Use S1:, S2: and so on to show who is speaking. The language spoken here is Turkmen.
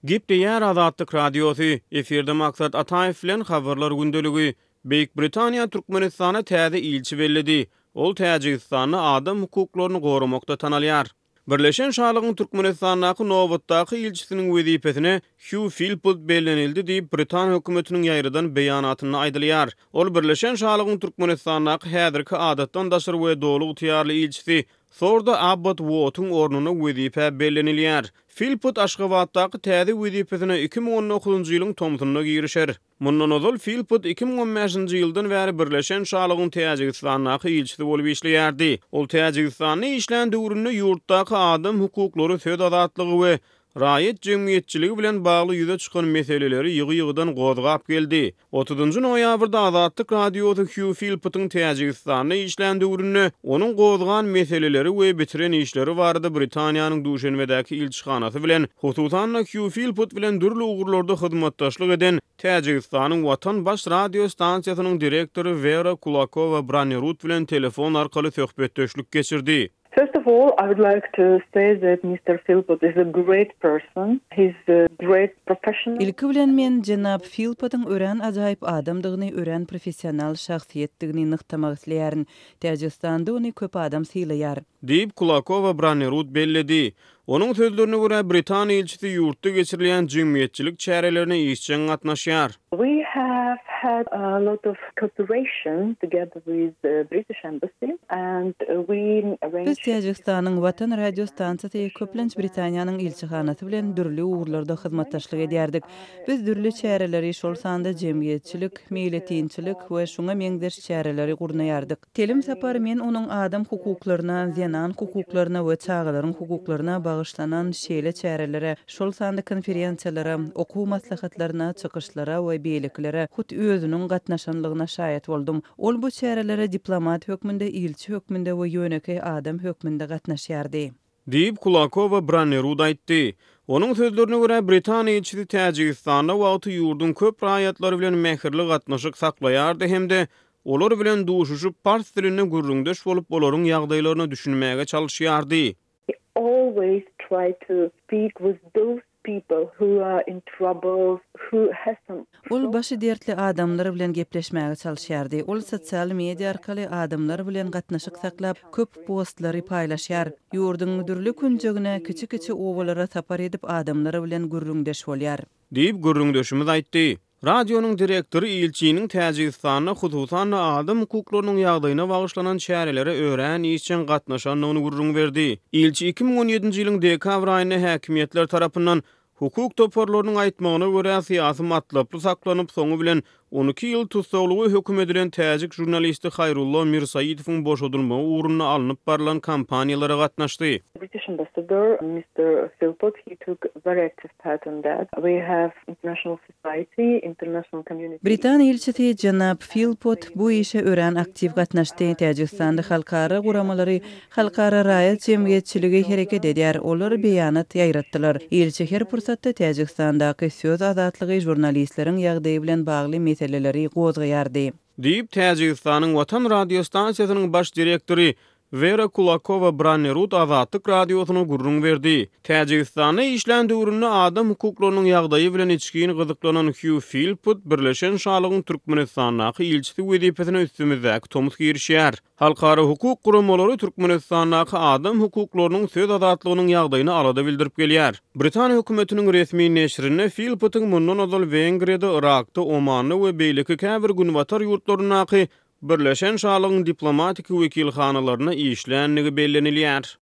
S1: Gepleýär Azatlyk Radiosy, efirde Maksat Ataýew bilen Habarlar gündeligi. Beýik Britaniýa Türkmenistana täze ilçi belledi. Ol Täjigistanda adam hukuklaryny goramakda tanalýar. Birleşen Şalygyň Türkmenistandaky nobatdaky ilçisiniň wezipesine Hýu Filpot bellenildi diýip, britan hökümetiniň ýaýradan beýanatynda aýdylýar. Ol Birleşen Şalygyň Türkmenistandaky häzirki adatdan daşary we doly ygtyýarly ilçisi Sorda Abbot Uottyň ornuna wezipä bellenilýär. Filpot Aşgabatdaky täze wezipesine 2019-njy ýylyň tomsunda girişer. Mundan ozal Filpot 2015-nji ýyldan bäri Birleşen Şalygyň Täjigistandaky ilçisi bolup işleýärdi. Ol Täjigistanda işlän döwründe ýurtdaky adam hukuklary, söz azatlygy we raýat jemgyýetçiligi bilen bagly ýüze çykan meseleleri ýygy-ýygydan gozgap geldi. Otuzynjy noýabrda Azatlyk Radiosy Hýu Filpotyň Täjigistanda işlän döwründe onuň gozgan meseleleri we bitiren işleri barada Britaniýanyň Duşenbedäki ilçihanasy bilen, hususan-da Hýu Filpot bilen dürli ugurlarda hyzmatdaşlyk eden Täjigistanyň Watan baş radio stansiýasynyň direktory Wera Kulakowa-Branerud bilen telefon arkaly söhbetdeşlik geçirdi.
S2: First of all, I would like to say that Mister Philpott is a great person. He's a great professional.
S3: Ilki bilen men jenap Filpottyň örän ajaýyp adamdygyny, örän professional şahsyýetdigini nygtamak isleýärin. Täjigistanda ony köp adam sylaýar.
S1: Diýip, Kulakowa Branerud belledi. Onuň sözlerine görä, britan ilçisi ýurtda geçirilýän jemgyýetçilik çärelerine işjeň gatnaşýar.
S2: We have had a lot of cooperation together with the British Embassy and we arranged.
S3: Biz Täjigistanyň Watan radio stansiýasy, köplenç Britaniýanyň ilçihanasy bilen dürli ugurlarda hyzmatdaşlyk edýärdik. Biz dürli çäreleri, şol sanda jemgyýetçilik, meýletinçilik we şuňa meňzeş çäreleri gurnaýardyk. Telim sapar men onuň adam hukuklaryna, zenan hukuklaryna we çagalaryň hukuklaryna bagyşlanan şeýle çärelere, şol sanda konferensiýalara, okuw maslahatlaryna, çykyşlara we beýlekilere hut özüniň gatnaşanlygyna şaýat boldum. Ol bu çärelere diplomat hökmünde, ilçi hökmünde we ýönekeý adam hökmünde gatnaşýardy.
S1: Diýip, Kulakowa Brannerud aýtdy. Onuň sözlerine görä, britan ilçisi Täjigistanda wagty ýurduň köp raýatlary bilen mähirli gatnaşyk saklaýardy hem-de olar bilen duşuşyp, pars dilinde gürrüňdeş bolup, olaryň ýagdaýlaryna düşünmäge çalyşýardy.
S2: He always tried to speak with those people who are in trouble, who has some
S3: Ol başy dertli adamlar bilen gepleşmäge çalyşýardy. Ol sosial media arkaly adamlar bilen gatnaşyk saklap, köp postlary paýlaşýar. Ýurduň dürli künjegine, kiçi-kiçi obalara sapar edip, adamlar bilen gürrüňdeş bolýar.
S1: Diýip, gürrüňdeşimiz aýtdy. Radionyň direktory ilçiniň Täjigistanda, hususan-da, adam hukuklarynyň ýagdaýyna bagyşlanan çärelere örän işjeň gatnaşandygyny gürrüň berdi. Ilçi 2017-nji ýylyň dekabr aýynda häkimiýetler tarapyndan, hukuk toparlarynyň aýtmagyna görä, syýasy matlaply saklanyp, soňy bilen 12 ýyl tussaglyga höküm edilen täjik žurnalisti Haýrullo Mirsaitowyň boşadylmagy ugrunda alnyp barlan kampaniýalara gatnaşdy.
S2: British ambassador Mister Philpott he took very active part on that. We have international society, international community.
S3: Britan ilçisi jenap Filpott bu işe örän aktiw gatnaşdy. Täjigistanda halkara guramalary, halkara raýat jemgyýetçiligi hereket edýär. Olar beýanat ýaýratdylar. Ilçi her pursatda Täjigistandaky söz azatlygy, žurnalistleriň ýagdaýy bilen bagly meseleleri gozgaýardy.
S1: Diýip, Täjigistanyň Watan radiostansiýasynyň baş direktory Wera Kulakowa Brannerud Azatlyk Radiosyna gürrüň berdi. Täjigistanda işlän döwründe adam hukuklarynyň ýagdaýy bilen içgin gyzyklanan Hýu Filput Birleşen Şalygyň Türkmenistandaky ilçisi wezipesine üstümizdäki tomus girişýär. Halkara hukuk guramalary Türkmenistandaky adam hukuklarynyň, söz azatlygynyň ýagdaýyna alada bildirip gelýär. Britan hökümetiniň resmi neşirinde Filputyň mundan ozal Wengriýada, Yrakda, Omanda we beýleki käbir günbatar ýurtlaryndaky Birleşen Şalygyň diplomatiki wekilhanalarynda işländigi bellenilýär.